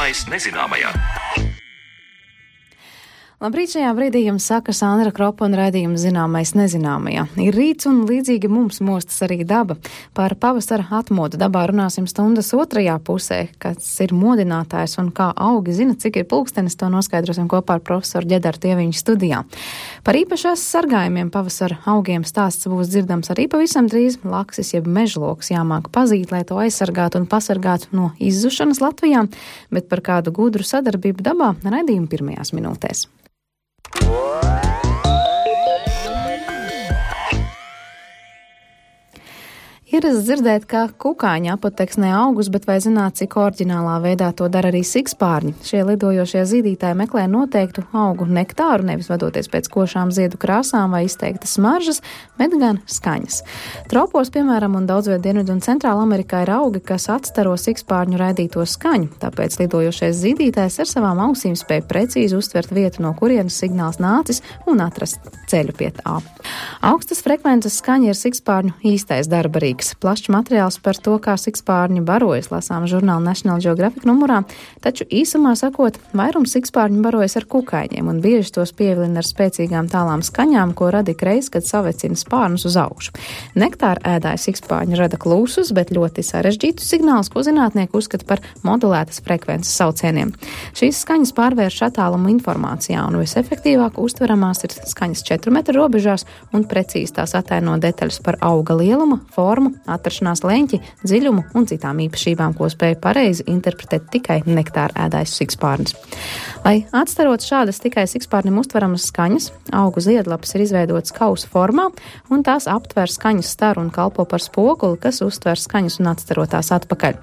Zināmais nezināmajā. Labrīt, šajā brīdī jums saka Sandra Kropa un raidījums Zināmais nezināmajā. Ir rīts un līdzīgi mums mostas arī daba. Par pavasara atmodu dabā runāsim stundas otrajā pusē, kas ir modinātājs un kā augi zina, cik ir pulkstenis, to noskaidrosim kopā ar profesoru Ģedaru Tieviņu studijā. Par īpašās sargājumiem pavasara augiem stāsts būs dzirdams arī pavisam drīz. Laksis jeb mežloks jāmāk pazīt, lai to aizsargātu un pasargātu no izzušanas Latvijā, bet par kādu gudru sadarbību dabā raidījuma pirmajās minūtēs. Ierasts dzirdēt, ka kukaiņi apoteksnē augus, bet vai zināt, cik oriģinālā veidā to dara arī sikspārņi? Šie lidojošie zīdītāji meklē noteiktu augu nektāru, nevis vadoties pēc košām ziedu krāsām vai izteiktas smaržas, bet gan skaņas. Tropos, piemēram, un daudzviet Dienvidu un Centrāla Amerikā ir augi, kas atstaro sikspārņu raidīto skaņu, tāpēc lidojošais zīdītājs ar savām ausīm spēj precīzi uztvert vietu, no kurienes signāls nācis un atrast ceļu pie tā. Augstas frekvences skaņa ir sikspārņu īstais darba rīks. Plašs materiāls par to, kā sikspārņi barojas, lasām žurnāla National Geographic numurā, taču īsumā sakot, vairums sikspārņu barojas ar kukaiņiem un bieži tos pievilina ar spēcīgām tālām skaņām, ko rada ikreiz, kad savecina spārnus uz augšu. Nektāra ēdāja sikspārņi rada klusus, bet ļoti sarežģītus signālus, ko zinātnieki uzskata par modulētas frekvences saucieniem. Šīs skaņas pārvērš attālumu informācijā un visefektīvāk uztveramās ir skaņas 4 metru robežās un precīzi tās ataino detaļas par auga lielumu, formu, atrašanās leņķi, dziļumu un citām īpašībām, ko spēja pareizi interpretēt tikai nektāra ēdājs sikspārnis. Lai atstarot šādas tikai sikspārnim uztveramas skaņas, augu ziedlapas ir izveidotas kausa formā, un tās aptver skaņas staru un kalpo par spoguli, kas uztver skaņas un atstarotās atpakaļ.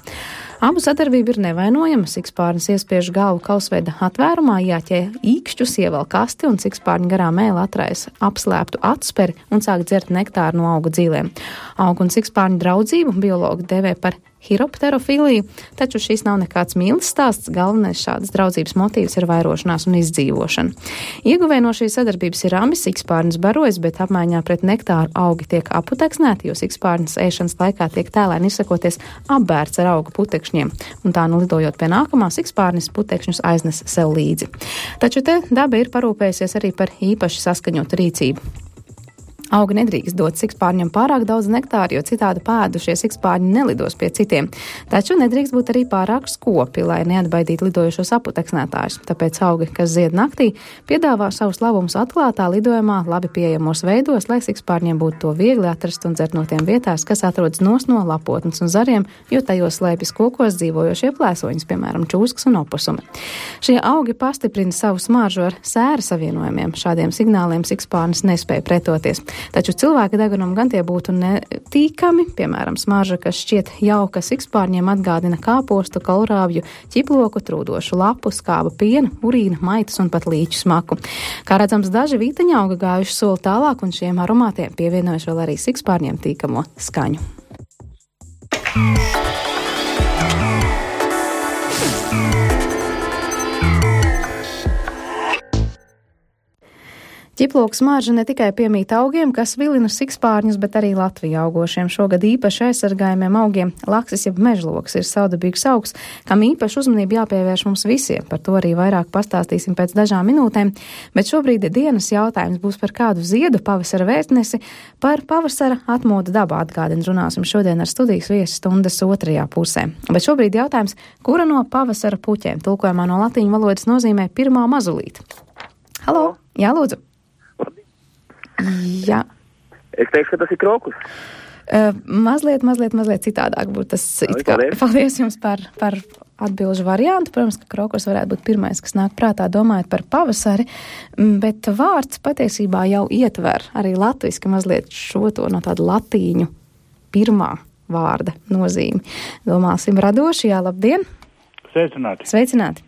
Abu sadarbība ir nevainojama. Sikspārnis iespiež galvu kausveida atvērumā, jāķē īkšķus, ievelk kasti un sikspārņa garā mēle atraisa apslēptu atsperi un sāk dzert nektāru no augu dzīlēm. Augu un sikspārņu draudzību biologi dēvē par hiropterofiliju, taču šis nav nekāds mīlas stāsts, galvenais šādas draudzības motīvs ir vairošanās un izdzīvošana. Ieguvēji no šīs sadarbības ir abi, sikspārnis barojas, bet apmaiņā pret nektāru augi tiek aputeksnēti, jo sikspārnis ēšanas laikā tiek tēlēni izsakoties apbērts ar auga putekšņiem, un tā nu lidojot pie nākamā, sikspārnis putekšņus aiznes sev līdzi. Taču te daba ir parūpējusies arī par īpaši saskaņotu rīcību. Augi nedrīkst dot sikspārņam pārāk daudz nektāru, jo citādi pēdušie sikspārņi nelidos pie citiem. Taču nedrīkst būt arī pārāk skopi, lai neatbaidītu lidojošos aputeksnētājus. Tāpēc augi, kas zied naktī, piedāvā savus labumus atklātā lidojumā, labi pieejamos veidos, lai sikspārņiem būtu to viegli atrast un dzert no tiem vietās, kas atrodas no lapotnes un zariem, jo tajos slēpjas kokos dzīvojošie plēsoņas, piemēram, čūskas un opusumi. Šie augi pastiprina savu smaržu ar sēra savienojumiem. Šādiem signāliem sikspārnis nespēja pretoties. Taču cilvēka degunam gan tie būtu netīkami, piemēram, smarža, kas šķiet jauka sikspārņiem, atgādina kāpostu, kolrāvju, ķiploku, trūdošu lapu, skāba piena, urīna, maitas un pat līķu smaku. Kā redzams, daži vīteņa auga gājuši soli tālāk un šiem aromātiem pievienojuši vēl arī sikspārņiem tīkamo skaņu. Ķiploku smarža ne tikai piemīt augiem, kas vilina sikspārņus, bet arī Latvijā augošiem šogad īpaši aizsargājumiem augiem. Laksis jeb mežloks ir saudabīgs augs, kam īpaši uzmanību jāpievērš mums visiem. Par to arī vairāk pastāstīsim pēc dažām minūtēm, bet šobrīd dienas jautājums būs par kādu ziedu pavasara vēstnesi, par pavasara atmodu dabā atgādina runāsim šodien ar studijas viesi stundas otrajā pusē. Bet šobrīd jautājums, kura no pavasara puķēm tulkojumā no latīņu valodas nozīmē pirmā mazulīte? Halo, jā, lūdzu. Jā. Es teikšu, ka tas ir krokus. Mazliet citādāk būtu tas. Paldies jums par atbilžu variantu. Protams, ka krokus varētu būt pirmais, kas nāk prātā domājot par pavasari, bet vārds patiesībā jau ietver arī latviski mazliet šo to no tāda latīņu pirmā vārda nozīmi. Domāsim radoši, jā, labdien! Sveicināti!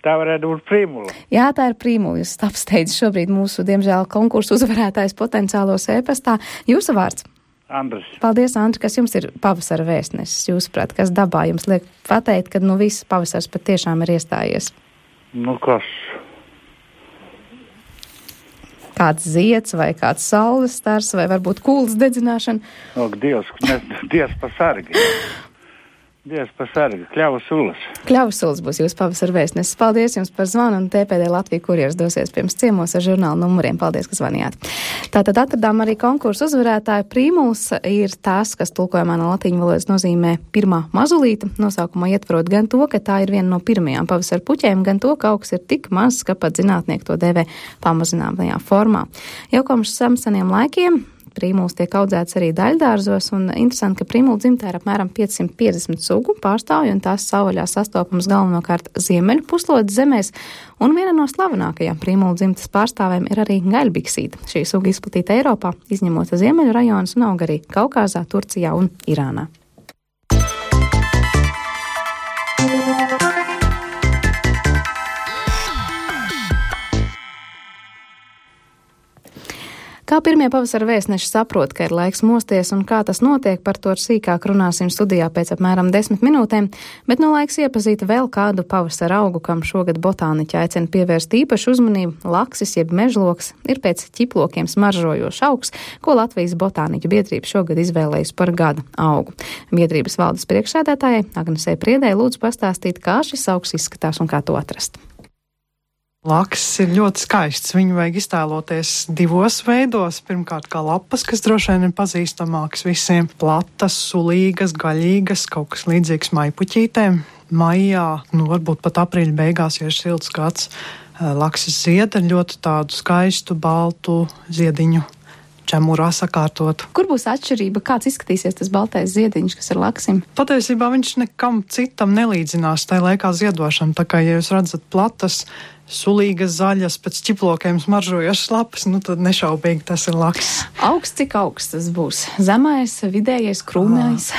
Tā varētu būt Prīmula. Jā, tā ir Prīmula. Jūs apsteidz šobrīd mūsu, diemžēl, konkursu uzvarētājs potenciālos e-pastā. Jūsu vārds? Andris. Paldies, Andri, kas jums ir pavasara vēstnesis, jūsuprāt, kas dabā jums liek pateikt, ka viss pavasars pat tiešām ir iestājies? Kas? Kāds zieds vai kāds saules stars vai varbūt kūlas dedzināšana? Dievs pasargi. Dievs pasargi, Kļavas ulas. Kļavas ulas būs jūsu pavasara vēstnesis. Paldies jums par zvanu, un TPD Latvija kurjers dosies pirms ciemos ar žurnālu numuriem. Paldies, ka zvanījāt. Tātad atradām arī konkursu uzvarētāju. Prīmuls ir tās, kas tulkojumā no latīņu valodas nozīmē pirmā mazulīta. Nosaukumā ietverot gan to, ka tā ir viena no pirmajām pavasara puķēm, gan to, ka augs ir tik mazs, ka pat zinātnieki to dēvē pamazinātajā formā. Jau kopš seniem laikiem prīmuls tiek audzēts arī daļdārzos, un interesanti, ka prīmula dzimtē ir apmēram 550 sugu pārstāvju, un tās savvaļā sastopams galvenokārt ziemeļu puslodes zemēs, un viena no slavenākajām prīmula dzimtes pārstāvēm ir arī gaļbiksīta. Šī suga izplatīta Eiropā, izņemot ziemeļu rajonus, un aug arī Kaukāzā, Turcijā un Irānā. Kā pirmie pavasara vēstneši saprot, ka ir laiks mosties un kā tas notiek, par to sīkāk runāsim studijā pēc apmēram 10 minūtēm, bet no laiks iepazīt vēl kādu pavasara augu, kam šogad botāniķi aicina pievērst īpašu uzmanību. Laksis jeb mežloks ir pēc ķiplokiem smaržojošs augs, ko Latvijas botāniķu biedrība šogad izvēlējusi par gada augu. Biedrības valdes priekšsēdētājai Agnesei Priedei lūdzu pastāstīt, kā šis augs izskatās un kā to atrast. Laksis ir ļoti skaists. Viņu vajag iztēloties divos veidos. Pirmkārt, kā lapas, kas droši vien ir pazīstamākas visiem. Platas, sulīgas, gaļīgas, kaut kas līdzīgs maipuķītēm. Maijā, varbūt pat aprīļa beigās, ja ir silts gads, laksis zied ar ļoti tādu skaistu, baltu ziediņu čemurā sakārtotu. Kur būs atšķirība? Kāds izskatīsies tas baltais ziediņš, kas ir laksim? Patiesībā viņš nekam citam nelīdzinās tajā laikā ziedošana. Tā kā, ja jūs redzat platas, sulīgas zaļas, pēc ķiplokiem smaržojošas lapas, tad nešaubīgi tas ir laksis. Augsts, cik augsts tas būs? Zemais, vidējais, krūmējs?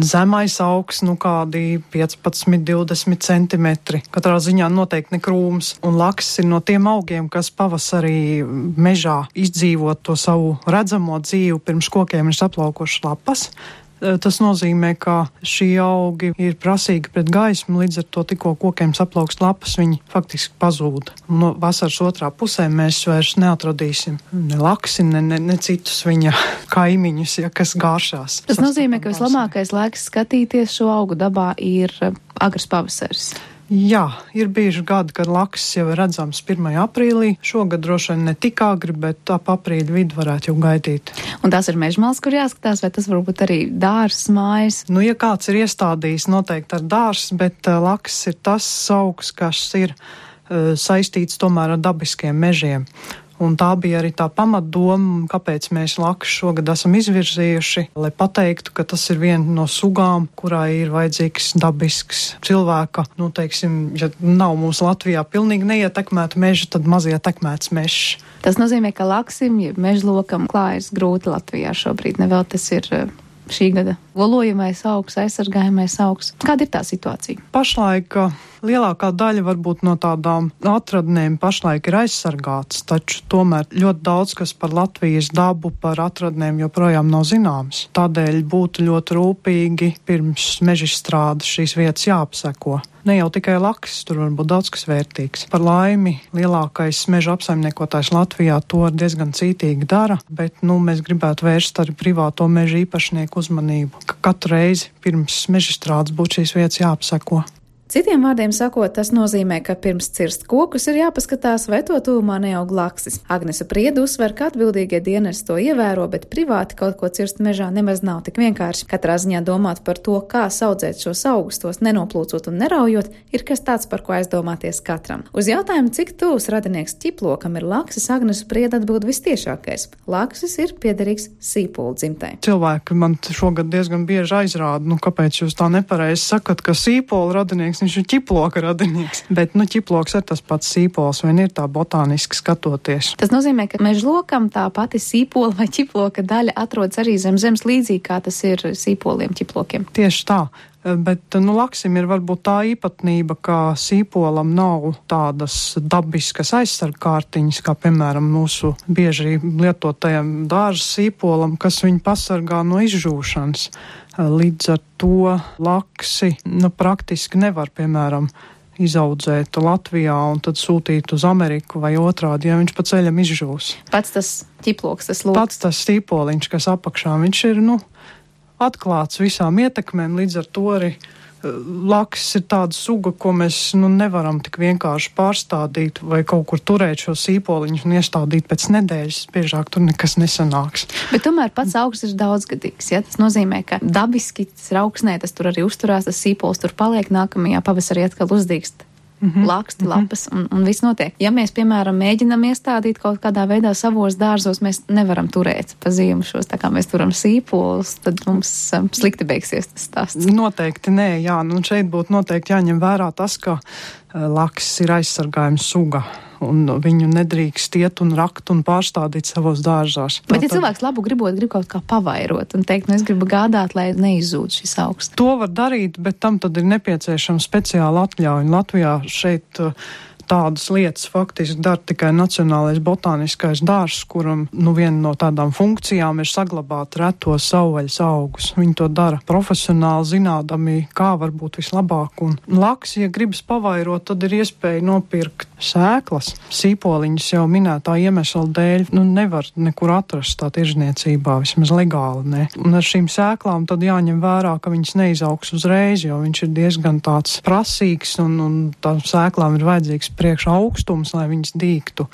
Zemais augsts, kādi 15-20 centimetri. Katrā ziņā noteikti ne krūms. Un laksis ir no tiem augiem, kas pavasarī mežā izdzīvot to savu redzamo dzīvi, pirms kokiem ir saplaukušas lapas. Tas nozīmē, ka šī augi ir prasīgi pret gaismu, līdz ar to tikko kokiem saplaukst lapas, viņi faktiski pazūd. No vasaras otrā pusē mēs vairs neatradīsim ne laksi, ne citus viņa kaimiņus, kas gāršās. Tas nozīmē, ka vislabākais laiks skatīties šo augu dabā ir agrs pavasaris. Jā, ir bijuši gadi, kad laksis jau ir redzams 1. aprīlī. Šogad droši vien ne tik agri, bet ap aprīļa vidu varētu jau gaidīt. Un tās ir mežmals, kur jāskatās, vai tas varbūt arī dārzs, mājas? Ja kāds ir iestādījis, noteikti ar dārzs, bet laksis ir tas augs, kas ir saistīts tomēr ar dabiskiem mežiem. Un tā bija arī tā pamatdoma, kāpēc mēs laksu šogad esam izvirzījuši, lai pateiktu, ka tas ir viena no sugām, kurai ir vajadzīgs dabisks cilvēka. Ja nav mums Latvijā pilnīgi neietekmēta meža, tad maz ietekmēts mežs. Tas nozīmē, ka laksim, ja mežlokam klājas grūti Latvijā šobrīd. Nevēl tas ir šī gada lolojamais augs, aizsargājamais augs. Kāda ir tā situācija? Pašlaik lielākā daļa varbūt no tādām atradnēm pašlaik ir aizsargāts, taču tomēr ļoti daudz, kas par Latvijas dabu, par atradnēm joprojām nav zināms. Tādēļ būtu ļoti rūpīgi pirms mežstrādes šīs vietas jāapseko. Ne jau tikai laksis, tur var būt daudz kas vērtīgs. Par laimi, lielākais meža apsaimniekotājs Latvijā to diezgan cītīgi dara, bet mēs gribētu vērst arī privāto meža īpašnieku uzmanību, ka katru reizi pirms mežstrādes būtu šīs vietas jāapseko. Citiem vārdiem sakot, tas nozīmē, ka pirms cirst kokus ir jāpaskatās, vai to tuvumā neaug laksis. Agnese Priede uzsver, ka atbildīgie dienesti to ievēro, bet privāti kaut ko cirst mežā nemaz nav tik vienkārši. Katrā ziņā domāt par to, kā audzēt šos augus, tos nenoplūcot un neraujot, ir kas tāds, par ko aizdomāties katram. Uz jautājumu, cik tuvs radinieks ķiplokam ir laksis, Agnese Priede atbild vistiešākais. Laksis ir piederīgs sīpolu dzimtai. Cilvēki man šogad diezgan bieži aizrāda, kāpēc jūs tā nepareizi sakat, ka sīpolu radinieks viņš ir ķiploka radinieks. Bet, ķiploks ir tas pats sīpols, vien ir tā botāniski skatoties. Tas nozīmē, ka mežlokam tā pati sīpola vai ķiploka daļa atrodas arī zem zemes līdzīgi, kā tas ir sīpoliem, ķiplokiem. Tieši tā. Bet, laksim ir varbūt tā īpatnība, ka sīpolam nav tādas dabiskas aizsargkārtiņas, kā, piemēram, mūsu bieži lietotajam dārza sīpolam, kas viņu pasargā no izžūšanas. Līdz ar to laksi praktiski nevar, piemēram, izaudzēt Latvijā un tad sūtīt uz Ameriku vai otrādi, ja viņš pa ceļam izžūs. Pats tas ķiploks, tas lūks. Pats tas sīpoliņš, kas apakšā, viņš ir, atklāts visām ietekmēm, līdz ar to arī Laksis ir tāda suga, ko mēs nevaram tik vienkārši pārstādīt vai kaut kur turēt šo sīpoliņu un iestādīt pēc nedēļas. Biežāk tur nekas nesanāks. Bet tomēr pats augs ir daudzgadīgs. Ja? Tas nozīmē, ka dabiski tas ir augsnē, tas tur arī uzturās, tas sīpols tur paliek, nākamajā pavasarī atkal uzdīkst. Laksti, lapas un viss notiek. Ja mēs, piemēram, mēģinam iestādīt kaut kādā veidā savos dārzos, mēs nevaram turēt pa ziemu šos, tā kā mēs turam sīpolus, tad mums slikti beigsies tas stāsts. Noteikti nē, jā. Šeit būtu noteikti jāņem vērā tas, ka laksis ir aizsargājums suga. Un viņu nedrīkst iet un rakt un pārstādīt savos dārzās. Bet ja cilvēks labu grib kaut kā pavairot un teikt, es gribu gādāt, lai neizzūd šis augs. To var darīt, bet tam tad ir nepieciešama speciāla atļauja. Latvijā šeit tādas lietas faktiski dara tikai Nacionālais botāniskais dārzs, kuram viena no tādām funkcijām ir saglabāt retos savvaļas augus. Viņi to dara profesionāli, zinādami, kā varbūt vislabāk. Un laksis, ja gribas pavairot, tad ir iespēja nopirkt sēklas. Sīpoliņas jau minētā iemesla dēļ nevar nekur atrast tā tirzniecībā, vismaz legāli, ne. Un ar šīm sēklām tad jāņem vērā, ka viņas neizaugs uzreiz, jo viņš ir diezgan tāds prasīgs un tām sēklām ir vajadzīgs priekš augstums, lai viņas dīgtu.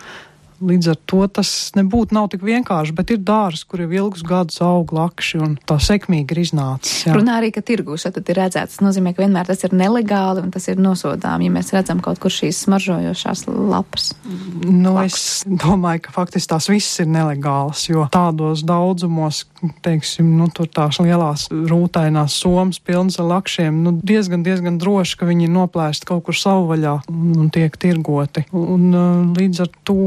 Līdz ar to tas nav tik vienkārši, bet ir dārzs, kur jau ilgus gadus aug lakši un tā sekmīgi ir iznācis. Jā. Runā arī, ka tirgūs tad ir redzēts. Tas nozīmē, ka vienmēr tas ir nelegāli un tas ir nosodām, ja mēs redzam kaut kur šīs smaržojošās lapas. Es domāju, ka faktiski tās visas ir nelegālas, jo tādos daudzumos, teiksim, tur tās lielās rūtainās somas pilnas ar lakšiem, diezgan droši, ka viņi ir noplēsti kaut kur savvaļā un tiek tirgoti. Un līdz ar to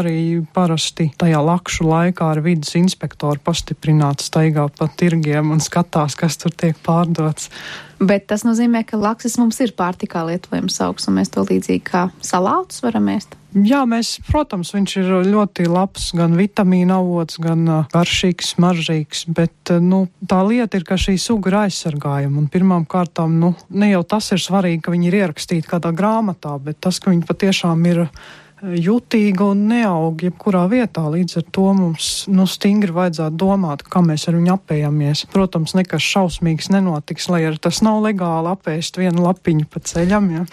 arī parasti tajā lakšu laikā ar vides inspektoru pastiprināti staigā pa tirgiem un skatās, kas tur tiek pārdots. Bet tas nozīmē, ka laksis mums ir pārtikā lietojams augs, un mēs to līdzīgi kā salātus varam ēst? Jā, protams, viņš ir ļoti labs, gan vitamīna avots, gan garšīgs, smaržīgs, bet, tā lieta ir, ka šī suga ir aizsargājama, un pirmām kārtām, ne jau tas ir svarīgi, ka viņi ir ierakstīti kādā grāmatā, bet tas, ka viņi patiešām ir jutīga un neaug jebkurā vietā. Līdz ar to mums stingri vajadzētu domāt, kā mēs ar viņu apējamies. Protams, nekas šausmīgs nenotiks, lai arī tas nav legāli apēst vienu lapiņu pa ceļam, ja.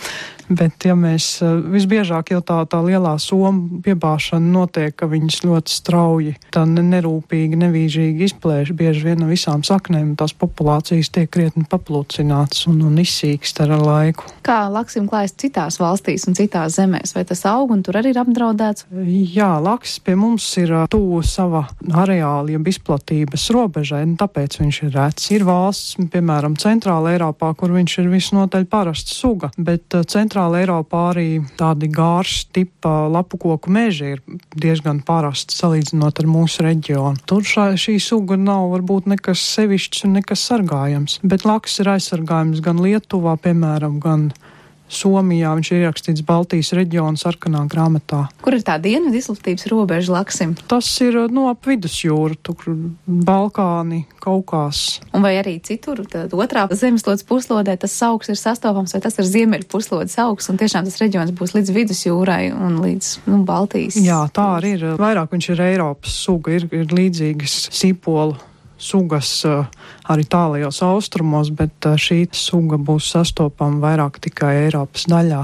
Bet, ja mēs visbiežāk jau tā lielā soma piebāšana notiek, ka viņas ļoti strauji, tā nerūpīgi, nevīžīgi izplēš bieži vien no visām saknēm, tās populācijas tiek krietni paplūcinātas un izsīkst ar laiku. Kā laksim klājas citās valstīs un citās zemēs? Vai tas aug un tur arī ir apdraudēts? Jā, laksis pie mums ir tuvu sava areāla, jeb izplatības robežai, tāpēc viņš ir rets. Ir valsts, piemēram, Centrāla Eiropā, kur viņš ir visnotaļ parasta suga, bet Centrāla Eiropā arī tādi gārši tipa lapu koku meži ir diezgan parasti salīdzinot ar mūsu reģionu. Tur šī suga nav varbūt nekas sevišķs un nekas sargājams, bet laksis ir aizsargājums gan Lietuvā, piemēram, gan Somijā. Viņš ir ierakstīts Baltijas reģiona sarkanā grāmatā. Kur ir tā dienvidu izplatības robeža laksim? Tas ir ap vidusjūru, tur Balkāni, Kaukās. Un vai arī citur, tad otrā zemeslodes puslodē tas augs ir sastopams, vai tas ir ziemeļu puslodes augs, un tiešām tas reģions būs līdz vidusjūrai un līdz Baltijas? Jā, tā arī ir. Vairāk viņš ir Eiropas suga, ir līdzīgas sīpolu sugas arī tālajos austrumos, bet šī suga būs sastopama vairāk tikai Eiropas daļā.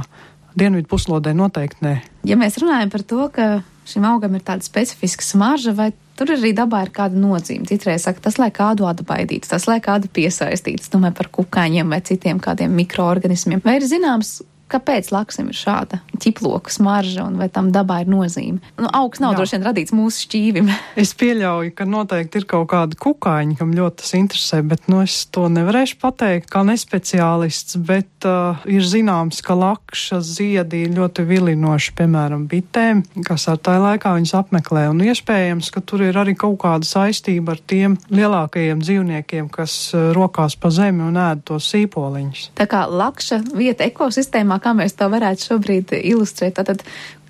Dienvidu puslodē noteikti nē. Ja mēs runājam par to, ka šim augam ir tāda specifiska smarža, vai tur arī dabā ir kāda nozīme? Citreiz saka, tas lai kādu atbaidīts, tas lai kādu piesaistīts, domāju par kukaiņiem vai citiem kādiem mikroorganismiem. Vai ir zināms, kāpēc laksim ir šāda ķiploka smarža un vai tam dabā ir nozīme? Augs nav droši vien radīts mūsu šķīvim. Es pieļauju, ka noteikti ir kaut kādi kukaiņi, kam ļoti tas interesē, bet es to nevarēšu pateikt kā nespeciālists, bet ir zināms, ka lakša ziedi ir ļoti vilinoši, piemēram, bitēm, kas ar tā laikā viņas apmeklē, un iespējams, ka tur ir arī kaut kāda saistība ar tiem lielākajiem dzīvniekiem, kas rokās pa zemi un ēd tos sīpoliņus. Tā kā lakša vieta ekosistēmā, kā mēs to varētu šobrīd ilustrēt, tātad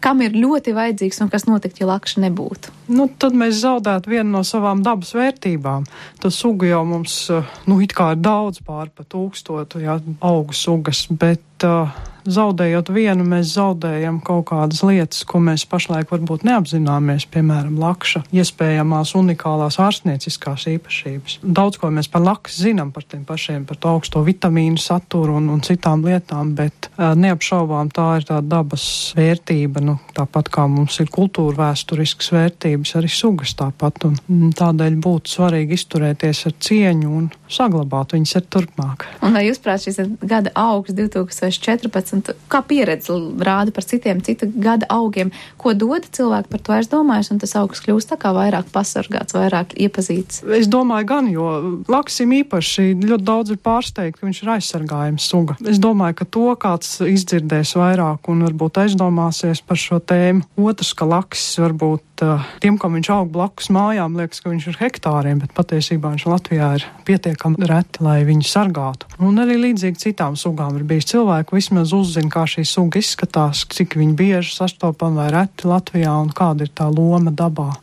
kam ir ļoti vajadzīgs un kas notikt, ja lakša nebūtu? Tad mēs zaudētu vienu no savām dabas vērtībām. Tas suga jau mums, it kā ir daudz pār pa 1000, augu sugas, bet zaudējot vienu, mēs zaudējam kaut kādas lietas, ko mēs pašlaik varbūt neapzināmies, piemēram, lakša iespējamās unikālās ārstnieciskās īpašības. Daudz ko mēs par laksu zinām, par tiem pašiem, par to augsto vitamīnu saturu un citām lietām, bet neapšaubām tā ir tā dabas vērtība, tāpat kā mums ir kultūra vēsturiskas vērtības, arī sugas tāpat, un tādēļ būtu svarīgi izturēties ar cieņu un saglabāt viņas ar turpmāk. Un vai jūs prāt šis gada augs 2014, kā pieredze rāda par citu gada augiem, ko dod cilvēki par to aizdomājas, un tas augs kļūst tā kā vairāk pasargāts, vairāk iepazīts? Es domāju gan, jo laksim īpaši ļoti daudz ir pārsteigti, ka viņš ir aizsargājums suga. Es domāju, ka to kāds izdzirdēs vairāk un varbūt aizdomāsies par šo tēmu. Otrs, ka laksis varbūt tiem, kam viņš aug blakus mājām, liekas, ka viņš ir hektāriem, bet patiesībā viņš Latvijā ir pietiekami reti, lai viņu sargātu. Un arī līdzīgi citām sugām ir bijis cilvēku, vismaz uzzina, kā šī suga izskatās, cik viņi bieži sastopam vai reti Latvijā un kāda ir tā loma dabā.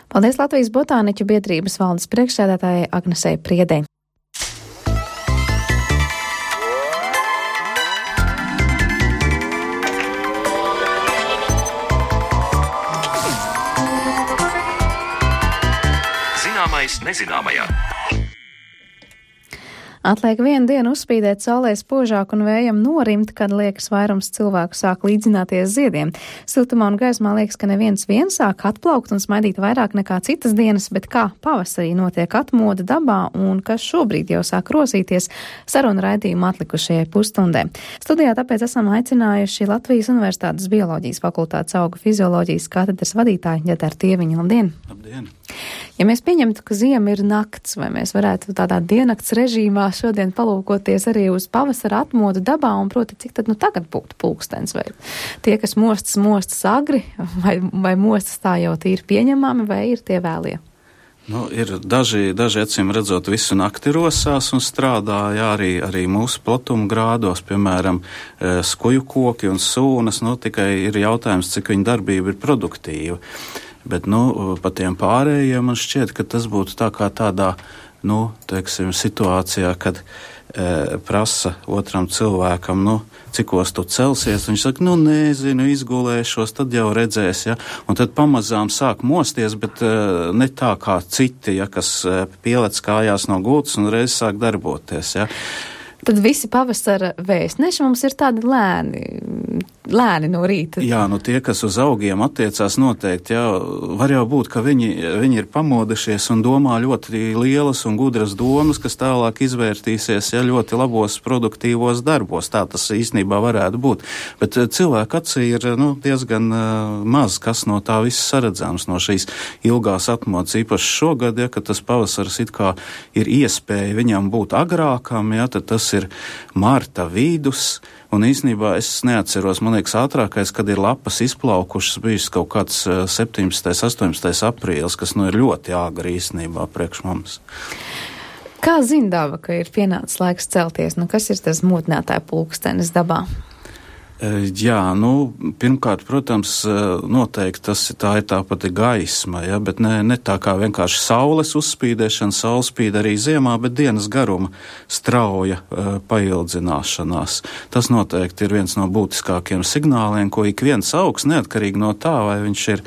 Paldies Latvijas Botāniķu biedrības valdes priekšsēdētājai Agnesei Priedei. Nezināmajā. Atliek vienu dienu uzspīdēt saulē spožāk un vējam norimt, kad liekas vairums cilvēku sāk līdzināties ziediem. Siltumā un gaismā liekas, ka neviens sāk atplaukt un smaidīt vairāk nekā citas dienas, bet kā pavasarī notiek atmoda dabā un kas šobrīd jau sāk rosīties, saruna raidījuma atlikušajai pusstundē. Studijā tāpēc esam aicinājuši Latvijas Universitātes bioloģijas fakultātes augu fizioloģijas katedras vadītāju Ģedaru Tieviņu. Labdien! Labdien! Ja mēs pieņemtu, ka ziema ir nakts, vai mēs varētu tādā diennakts režīmā šodien palūkoties arī uz pavasara atmodu dabā un proti, cik tad tagad būtu pulkstens, vai tie, kas mostas agri, vai mostas tā jau tīri pieņemami, vai ir tie vēlie? Ir daži acīm redzot visu nakti rosās un strādā, arī mūsu platuma grādos, piemēram, skuju koki un sūnas, tikai ir jautājums, cik viņa darbība ir produktīva. Bet, pa tiem pārējiem man šķiet, ka tas būtu tā kā tādā, situācijā, kad prasa otram cilvēkam, cikos tu celsies, viņš saka, nezinu, izgulēšos, tad jau redzēs, ja, un tad pamazām sāk mosties, bet ne tā kā citi, ja, kas pielec kājās no gultas un reiz sāk darboties, ja. Tad visi pavasara vēstneši mums ir tādi lēni no rīta. Jā, tie, kas uz augiem attiecās noteikti, var jau būt, ka viņi ir pamodušies un domā ļoti lielas un gudras domas, kas tālāk izvērtīsies, ļoti labos produktīvos darbos. Tā tas īstenībā varētu būt. Bet cilvēku acī ir, diezgan maz, kas no tā viss saredzams, no šīs ilgās atmodas, īpaši šogad, kad tas pavasars it kā ir iespēja viņam būt agrākam, tad tas ir marta vidus, un īstenībā es neatceros, man liekas, ātrākais, kad ir lapas izplaukušas, bijis kaut kāds 17. 18. aprīlis, kas ir ļoti āgri īstenībā priekš mums. Kā zina daba, ka ir pienācis laiks celties? Kas ir tas modinātāja pulkstenis dabā? Jā, pirmkārt, protams, noteikti tā ir tā pati gaisma, bet ne tā kā vienkārši saules uzspīdēšana, saule spīd arī ziemā, bet dienas garuma strauja paildzināšanās. Tas noteikti ir viens no būtiskākiem signāliem, ko ik viens augs, neatkarīgi no tā, vai viņš ir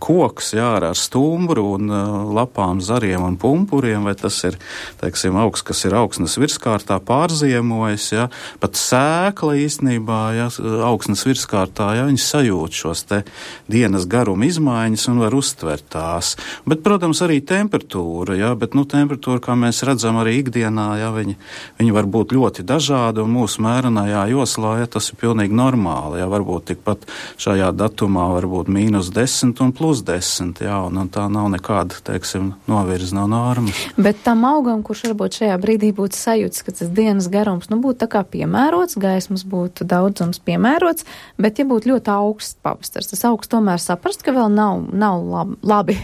koks, ar stumbru un lapām, zariem un pumpuriem, vai tas ir, augs, kas ir augsnes virskārtā pārziemojas, pat sēkla īstenībā, augsnes virskārtā, viņi sajūt šos te dienas garuma izmaiņas un var uztvert tās. Bet, protams, arī temperatūra, bet temperatūra, kā mēs redzam arī ikdienā, viņi var būt ļoti dažādi un mūsu mērenajā joslā, tas ir pilnīgi normāli, varbūt tikpat šajā datumā varbūt -10 un +10, un tā nav nekāda, novirza no normas. Bet tam augam, kurš varbūt šajā brīdī būtu sajūts, ka tas dienas garums, būtu tā kā piemērots, gaismas būtu daudz piemērots, bet ja būtu ļoti augsts pavasars, tas augs tomēr saprast, ka vēl nav labi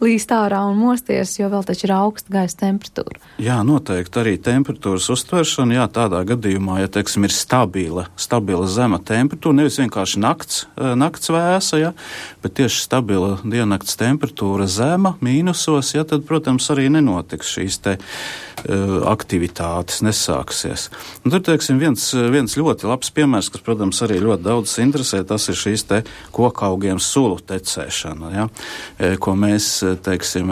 līst ārā un mosties, jo vēl taču ir augsta gaisa temperatūra. Jā, noteikti arī temperatūras uztveršana, jā, tādā gadījumā, ja, teiksim, ir stabila zema temperatūra, nevis vienkārši nakts vēsa, ja, bet tieši stabila diennakts temperatūra zema, mīnusos, ja, tad, protams, arī nenotiks šīs te aktivitātes, nesāksies. Un tur, teiksim, viens ļoti labs piemērs, kas, protams, arī ļoti daudz interesē, tas ir šīs te kokaugiem sulu tecēšana, ja, ko mēs, teiksim,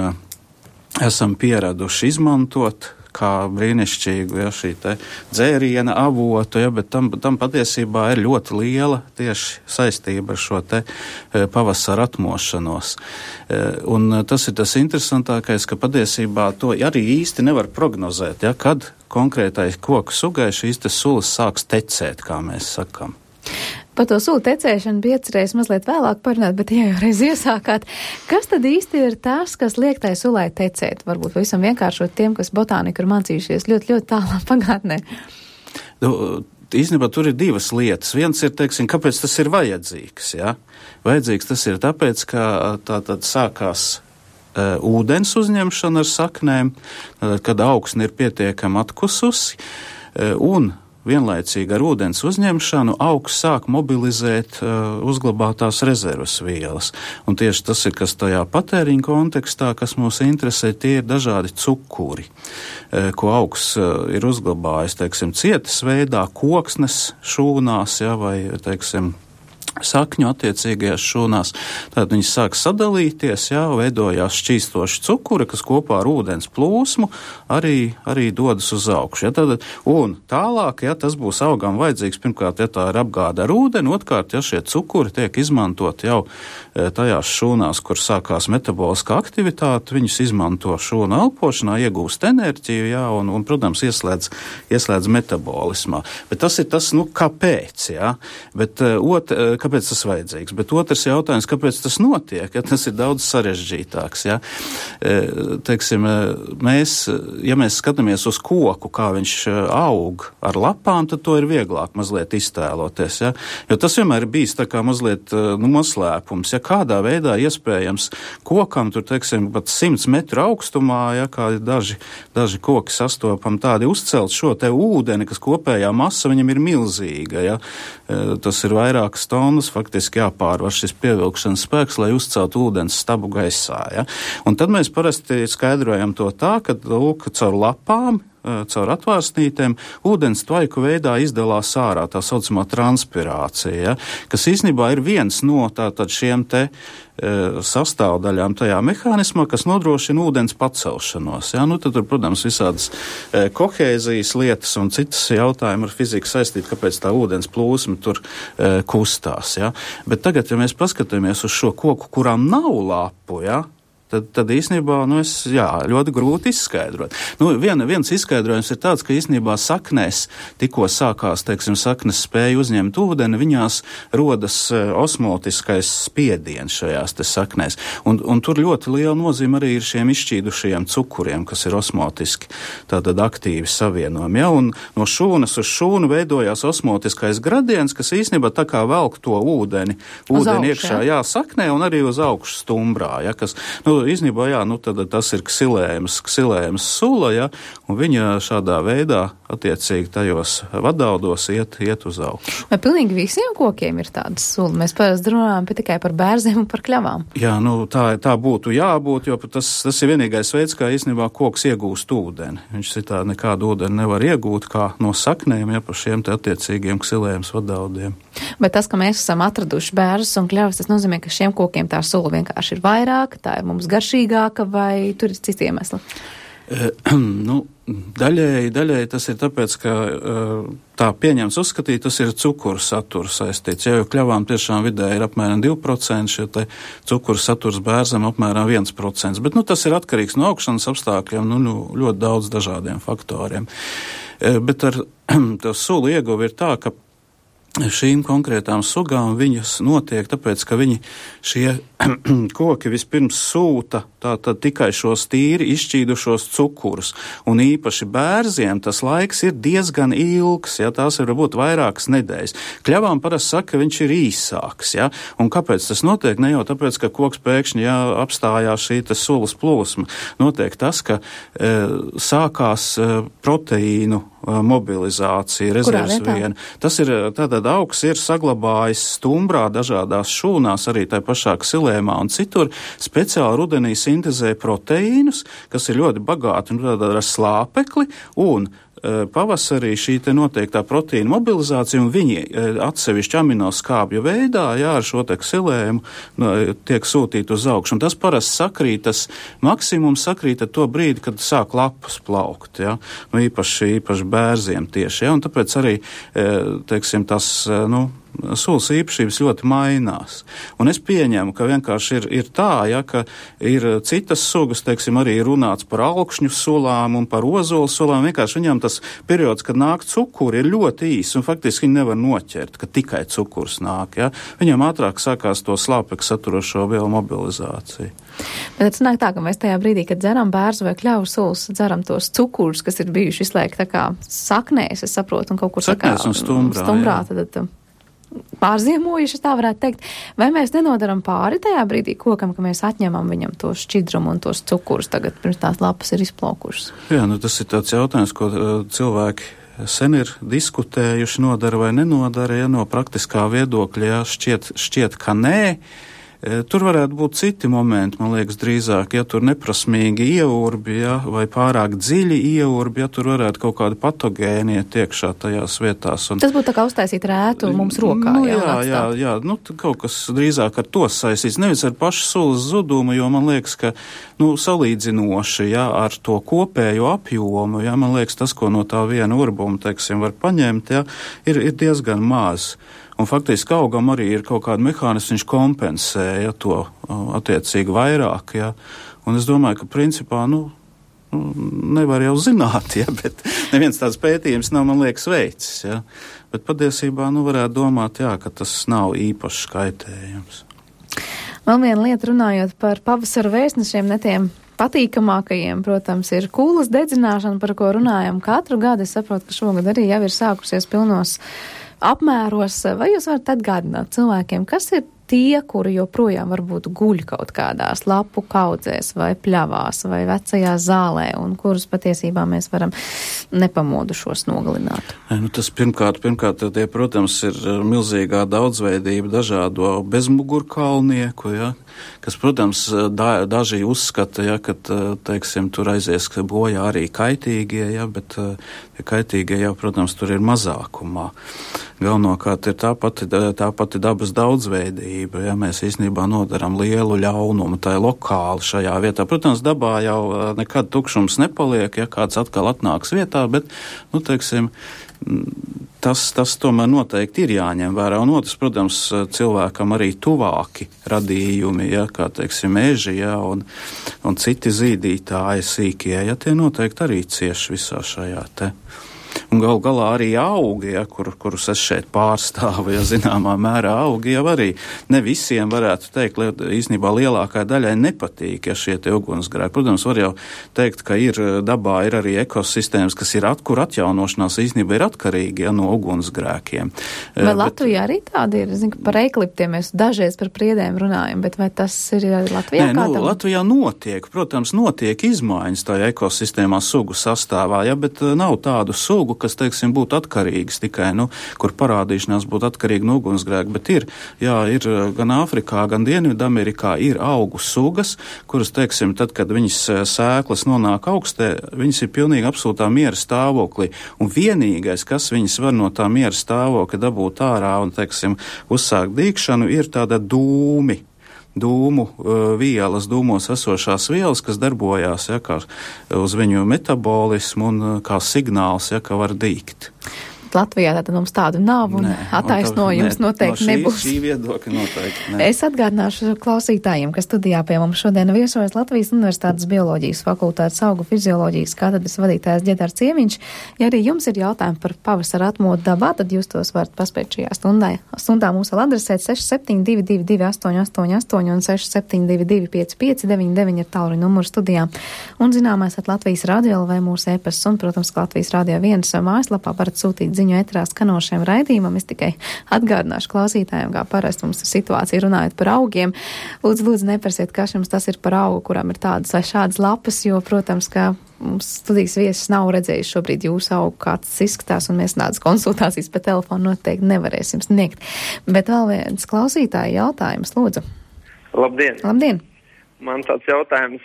esam pieraduši izmantot kā brīnišķīgu, ja, šī te dzēriena avotu, ja, bet tam patiesībā ir ļoti liela tieši saistība ar šo te pavasara atmošanos. Un tas ir tas interesantākais, ka patiesībā to arī īsti nevar prognozēt, ja, kad konkrētai koku sugai šīs te sulas sāks tecēt, kā mēs sakam. Par to sulu tecēšanu bija iecerējis mazliet vēlāk parunāt, bet ja jau reiz iesākāt, kas tad īsti ir tas, kas liek tai sulai tecēt? Varbūt visam vienkāršot tiem, kas botāniku ir mācījušies ļoti, ļoti tālā pagātnē. Īstenībā tur ir divas lietas. Viens ir, teiksim, kāpēc tas ir vajadzīgs, ja? Vajadzīgs tas ir tāpēc, ka tātad sākās ūdens uzņemšana ar saknēm, kad augsne ir pietiekami atkususi, un vienlaicīgi ar ūdens uzņemšanu augs sāk mobilizēt uzglabātās rezervas vielas. Un tieši tas ir, kas tajā patēriņa kontekstā, kas mūs interesē, tie ir dažādi cukuri, ko augs ir uzglabājis, teiksim, cietas veidā, koksnes šūnās, ja, vai, teiksim, sakņu attiecīgajās šūnās. Tātad viņas sāk sadalīties, jā, veidojās šķīstoši cukuri, kas kopā ar ūdens plūsmu arī dodas uz augšu. Ja, tātad, un tālāk, ja tas būs augam vajadzīgs, pirmkārt, ja tā ir apgāde ar ūdeni, otrkārt, ja šie cukuri tiek izmantot jau tajās šūnās, kur sākās metaboliskā aktivitāte, viņus izmanto šūnu elpošanā, iegūst enerģiju, jā, un protams, ieslēdz metabolismā. Bet tas ir tas, kāpēc, jā, bet kāpēc tas vajadzīgs? Bet otrs jautājums, kāpēc tas notiek, ja tas ir daudz sarežģītāks, ja? Teiksim, ja mēs skatāmies uz koku, kā viņš aug ar lapām, tad to ir vieglāk mazliet iztēloties, ja? Jo tas vienmēr ir bijis tā kā mazliet noslēpums, ja kādā veidā iespējams kokam, tur, teiksim, pat 100 metru augstumā, ja, kā daži koki sastopam tādi uzcelt šo te ūdeni, kas kopējā masa viņam ir milzīga, ja? Tas ir vairākas tonnas, faktiski jāpārvar šis pievilkšanas spēks, lai uzceltu ūdens stabu gaisā, ja? Un tad mēs parasti skaidrojam to tā, ka, lūk, caur lapām, caur atvārsnītēm ūdens tvaiku veidā izdalās ārā, tā saucamā transpirācija, ja, kas īstenībā ir viens no tātad šiem te sastāvdaļām tajā mehānismā, kas nodrošina ūdens pacelšanos. Ja? Tad tur, protams, visādas kohēzijas lietas un citas jautājumi ar fiziku saistīti, kāpēc tā ūdens plūsma tur kustās. Ja? Bet tagad, ja mēs paskatāmies uz šo koku, kurām nav lapu, ja? Tad īstenībā, ļoti grūti izskaidrot. Viens izskaidrojums ir tāds, ka īstenībā saknēs tikko sākās, teiksim, saknes spēja uzņemt ūdeni, viņās rodas osmotiskais spiediens šajās te saknēs. Un tur ļoti liela nozīme arī ir šiem izšķīdušajiem cukuriem, kas ir osmotiski, tātad aktīvi savienojumi. Ja? Un no šūnas uz šūnu veidojās osmotiskais gradiens, kas īstenībā tā kā velk to ūdeni iekšā, jā, saknē un arī uz augšu stumbrā, ja? Kas, īstenībā, tad tas ir ksilējums sula, ja, un viņa šādā veidā attiecīgi tajos vadaudos iet uz augšu. Vai pilnīgi visiem kokiem ir tādas sula? Mēs parasti runājam tikai par bērziem un par kļavām. Jā, tā būtu jābūt, jo tas ir vienīgais veids, kā īstenībā koks iegūst ūdeni. Viņš citādi nekādu ūdeni nevar iegūt kā no saknēm, ja pa šiem te attiecīgiem ksilējums vadaudiem. Bet tas, ka mēs esam atraduši bērzus un kļavas, tas nozīmē, ka šiem kokiem tā sula vienkārši ir vairāk, tā ir mums garšīgāka, vai tur ir citi iemesli? Daļēji tas ir tāpēc, ka tā pieņemts uzskatīt, tas ir cukuru saturu saistīts. Ja jau kļavām tiešām vidē ir apmēram 2%, šie te cukuru saturs bērzam apmēram 1%, bet tas ir atkarīgs no augšanas apstākļiem, ļoti daudz dažādiem faktoriem. Bet ar to sulu ieguvi ir tā, ka šīm konkrētām sugām viņas notiek tāpēc, ka viņi šie koki vispirms sūta tātad tikai šos tīri izšķīdušos cukurus, un īpaši bērziem tas laiks ir diezgan ilgs, ja tās var būt vairākas nedēļas. Kļavām parasti saka, ka viņš ir īsāks, ja, un kāpēc tas notiek? Ne jau tāpēc, ka koks pēkšņi, ja apstājās šī sulas plūsma, notiek tas, ka sākās proteīnu mobilizācija, rezerves viena. Tas ir, tātad augs ir saglabājis stumbrā dažādās šūnās, arī tai pašā ksilēmā un citur, speciāli rudenī sintezē proteīnus, kas ir ļoti bagāti un tādā ar slāpekli, un pavasarī šī te noteiktā proteīna mobilizācija, un viņi atsevišķi aminoskābju veidā, jā, ar šo te ksilēmu tiek sūtīti uz augšu. Un tas parasti sakrīt, tas maksimums sakrīt ar to brīdi, kad sāk lapas plaukt, jā, nu īpaši bērziem tieši, jā, un tāpēc arī, teiksim, tas, sulas īpašības ļoti mainās. Un es pieņemu, ka vienkārši ir tā, ja, ka ir citas sugas, teiksim, arī runāts par alkšņu sulām un par ozolu sulām. Vienkārši viņam tas periods, kad nāk cukuri, ir ļoti īs, un faktiski viņi nevar noķert, ka tikai cukurs nāk. Ja. Viņam ātrāk sākās to slāpekli saturošo vielu mobilizāciju. Bet tas nāk tā, ka mēs tajā brīdī, kad dzeram bērzu vai kļavu sulas, dzeram tos cukurus, kas ir bijuši visu laiku tā kā saknēs, es saprotu, un kaut kur saknēs un stumbrā tad pārziemojuši, tā varētu teikt. Vai mēs nenodaram pāri tajā brīdī kokam, ka mēs atņemam viņam to šķidrumu un tos cukurus tagad, pirms tās lapas ir izplaukušas? Jā, tas ir tāds jautājums, ko cilvēki sen ir diskutējuši, nodara vai nenodara, ja no praktiskā viedokļa, ja šķiet, ka nē. Tur varētu būt citi momenti, man liekas, drīzāk, ja tur neprasmīgi ieurbi, ja, vai pārāk dziļi ieurbi, ja tur varētu kaut kādi patogēni iet iekšā tajās vietās. Un, tas būtu tā kā uztaisīt rētu mums rokā. Jā, kaut kas drīzāk ar to saistīts, nevis ar pašu sulas zudumu, jo man liekas, ka, salīdzinoši, ja, ar to kopējo apjomu, ja, man liekas, tas, ko no tā viena urbuma, teiksim, var paņemt, ja, ir diezgan maz. Un faktiski augam arī ir kaut kāda mehānisma, viņš kompensē, ja, to attiecīgi vairāk, ja. Un es domāju, ka principā, nevar jau zināt, ja, bet neviens tāds pētījums nav, man liekas, veicis, ja. Bet patiesībā, varētu domāt, jā, ka tas nav īpašs kaitējums. Vēl viena lieta runājot par pavasara vēstnešiem, ne tiem patīkamākajiem, protams, ir kūlas dedzināšana, par ko runājam katru gadu. Es saprotu, ka šogad arī jau ir sākusies pilnos apmēros. Vai jūs varat atgādināt cilvēkiem, kas ir tie, kuri joprojām varbūt guļ kaut kādās lapu kaudzēs vai pļavās vai vecajā zālē, un kurus patiesībā mēs varam nepamodušos nogalināt? Tas pirmkārt, tie, protams, ir milzīgā daudzveidība dažādo bezmugurkalnieku, ja, kas, protams, daži uzskata, ja, ka, teiksim, tur aizies bojā arī kaitīgie, ja, bet kaitīgie jau, protams, tur ir mazākumā. Galvenokārt ir tā pati dabas daudzveidība, ja mēs īstenībā nodaram lielu ļaunumu, tā ir lokāli šajā vietā. Protams, dabā jau nekad tukšums nepaliek, ja kāds atkal atnāks vietā, bet, teiksim, tas tomēr noteikti ir jāņem vērā. Un otrs, protams, cilvēkam arī tuvāki radījumi, ja, kā, teiksim, meži, ja, un citi zīdītāji sīkie, ja, tie noteikti arī cieši visā šajā te. Un gal galā arī augi, ja, kurus es šeit pārstāvu, ja zināmā mērā augi jau arī ne visiem varētu teikt, īstenībā lielākai daļai nepatīk, ja šie te ugunsgrēki. Protams, var jau teikt, ka dabā ir arī ekosistēmas, kas ir kur atjaunošanās īstenībā ir atkarīgi, ja, no ugunsgrēkiem. Vai Latvijā arī tādi ir? Zinu, par eikliptiem mēs dažreiz par priedēm runājam, bet vai tas ir Latvijā kādam? Latvijā notiek izmaiņas tajā ekosistēmā sugu sastāvā, ja, bet nav tādu sugu, kas, teiksim, būtu atkarīgas tikai, kur parādīšanās būtu atkarīga no ugunsgrēka, bet ir gan Āfrikā, gan Dienvidamerikā ir augu sugas, kuras, teiksim, tad, kad viņas sēklas nonāk augstē, viņas ir pilnīgi absolūtā miera stāvoklī, un vienīgais, kas viņas var no tā miera stāvokļa dabūt ārā un, teiksim, uzsākt dīkšanu, ir tāda dūmu vielas, dūmos esošās vielas, kas darbojās, ja, kā uz viņu metabolismu un kā signāls, ja, ka var dīgt. Latvijā tātad mums tādu nav un attaisnojums noteikti nebūs. Šī viedokļa noteikti ne. Es atgādināšu klausītājiem, ka studijā pie mums šodien viesojas Latvijas Universitātes bioloģijas fakultātes augu fizioloģijas katedras vadītājs Ģedars Ciemiņš. Ja arī jums ir jautājumi par pavasara atmodu dabā, tad jūs tos varat paspēt šajā stundā mums vēl adresēt 6722 888 un 6722 5599 ir tālruņa numurs studijā. Un zināmais Latvijas radio vai mūsu e-pasts un, protams, Latvijas radio 1 mājaslapā varat sūtīt ziņu ētrā skanošiem raidījumam. Es tikai atgādināšu klausītājiem, kā parasti mums ir situācija runājot par augiem. Lūdzu, neprasiet, kas jums tas ir par augu, kuram ir tādas vai šādas lapas, jo, protams, ka mums studijas viesis nav redzējis šobrīd jūsu augu, kā tas izskatās, un mēs tādas konsultācijas pa telefonu noteikti nevarēsim sniegt. Bet vēl viens klausītāja jautājums, lūdzu. Labdien! Labdien! Man tāds jautājums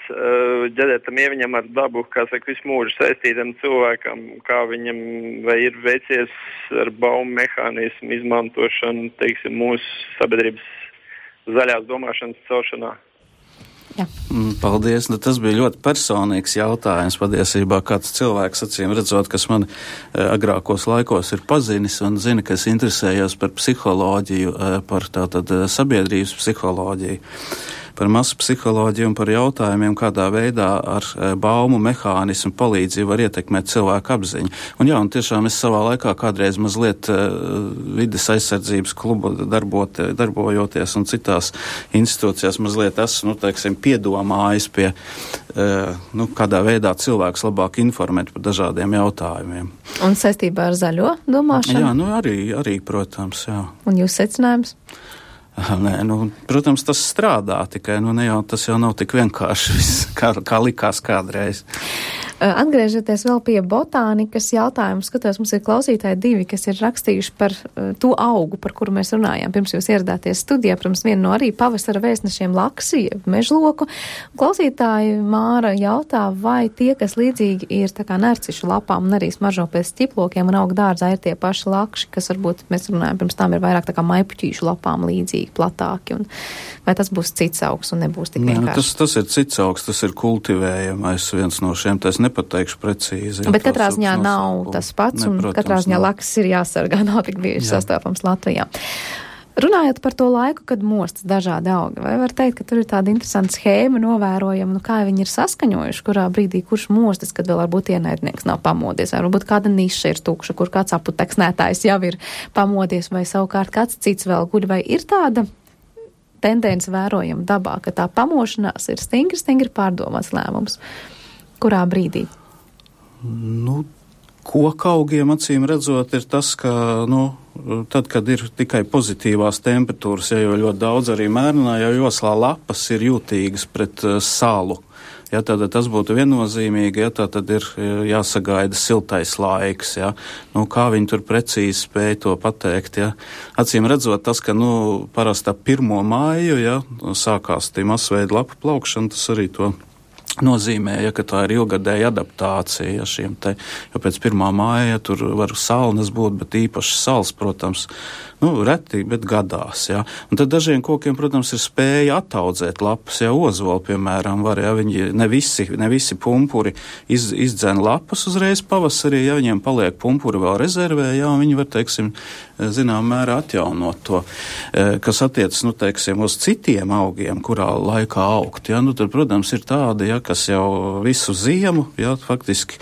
Ģedētam Ieviņam ar dabu, kā saka, visu mūžu saistītam cilvēkam, kā viņam vai ir veicies ar baumu mehānismu izmantošanu, teiksim, mūsu sabiedrības zaļās domāšanas celšanā. Jā. Paldies. Tas bija ļoti personīgs jautājums. Patiesībā kāds cilvēks, acīm redzot, kas man agrākos laikos ir pazinis un zina, ka es interesējos par psiholoģiju, par tātad sabiedrības psiholoģiju, par masu psiholoģiju un par jautājumiem, kādā veidā ar baumu mehānismu palīdzību var ietekmēt cilvēku apziņu. Un jā, un tiešām es savā laikā kādreiz mazliet vides aizsardzības klubu darbojoties un citās institūcijās mazliet esmu, teiksim, piedomājis pie, kādā veidā cilvēks labāk informēt par dažādiem jautājumiem. Un saistībā ar zaļo domāšanu? Jā, arī, protams, jā. Un jūs secinājums? Nē, protams, tas strādā, tikai tas jau nav tik vienkārši viss, kā likās kādreiz. Atgriežoties vēl pie botānikas jautājumu, skatos, mums ir klausītāji divi, kas ir rakstījuši par to augu, par kuru mēs runājām. Pirms jūs ieradāties studijā, pirms vienu no arī pavasara vēstnešiem laksi, mežloku. Klausītāji Māra jautā, vai tie, kas līdzīgi ir tā kā nercišu lapām un arī smaržo pēc ķiplokiem un auga dārzā, ir tie paši lakši, kas varbūt mēs runājam, pirms tam ir vairāk tā kā maipuķīšu lapām līdzīgi, platāki. Un vai tas būs cits augs un nebūs tik vienkārši? Tas ir cits augs, tas ir kultivējamais viens no šiem, tas nepateikšu precīzi. Bet katrā ziņā nav tas pats, un katrā ziņā laksis ir jāsargā, nav tik bieži sastopams Latvijā. Runājot par to laiku, kad mostas dažādi augi, vai var teikt, ka tur ir tāda interesanta schēma novērojama, kā viņi ir saskaņojuši, kurā brīdī kurš mostas, kad vēl varbūt ienaidnieks nav pamodies, vai varbūt kāda niša ir tukša, kur kāds aputeksnētājs jau ir pamodies, vai savukārt kāds cits vēl guļ, vai ir tāda tendence vērojama dabā, ka tā pamošanās ir stingri pārdomāts lēmums. Kurā brīdī? Kokaugiem acīm redzot ir tas, ka, tad, kad ir tikai pozitīvās temperatūras, jo ļoti daudz arī mērnājā joslā lapas ir jūtīgas pret salu. Ja, tad tas būtu viennozīmīgi, ja tad ir jāsagaida siltais laiks, ja. Kā viņi tur precīzi spēja to pateikt, ja. Acīm redzot tas, ka, parasti ap 1. māju, ja, sākās tie masveida lapu plaukšana, tas arī to nozīmē, ka tā ir ilgadēja adaptācija šiem te, jo pēc 1. māja tur var salnas būt, bet īpaši sals, protams, reti, bet gadās, jā. Un tad dažiem kokiem, protams, ir spēja attaudzēt lapas, ozoli, piemēram, var, ja viņi ne visi pumpuri izdzen lapas uzreiz pavasarī, ja viņiem paliek pumpuri vēl rezervē, jā, un viņi var, teiksim, zinām mērā atjaunot to, kas attiecas, teiksim, uz citiem augiem, kurā laikā augt, jā, tad, protams, ir tādi, jā, kas jau visu ziemu, jā, faktiski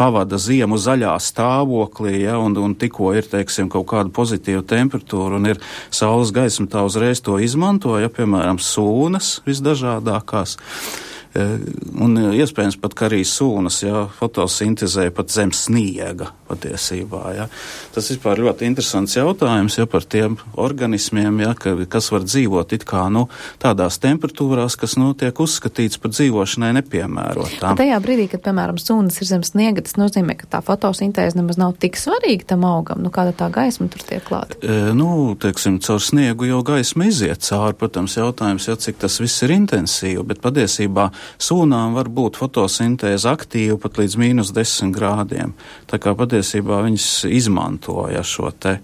pavada ziemu zaļā stāvoklī, jā, un tikko ir, teiksim, kaut kāda pozitīva temperatūra un ir saules gaisma, tā uzreiz to izmanto, ja, piemēram, sūnas visdažādākās. Un iespējams pat, ka arī sūnas, ja, fotosintezē pat zem sniega patiesībā, ja. Tas vispār ļoti interesants jautājums, ja, par tiem organismiem, ja, kas var dzīvot it kā, tādās temperatūrās, kas, tiek uzskatīts par dzīvošanai nepiemērotām. Tajā brīdī, kad, piemēram, sūnas ir zem sniega, tas nozīmē, ka tā fotosintēze nemaz nav tik svarīga tam augam, kāda tā gaisma tur tiek klāta. Teiksim, caur sniegu jau gaisma iziet cauri, protams, jautājums, ja, cik tas viss ir intensīvi, bet patiesībā sūnām var būt fotosintēze aktīva pat līdz -10 grādiem. Tā kā patiesībā viņas izmantoja šo te.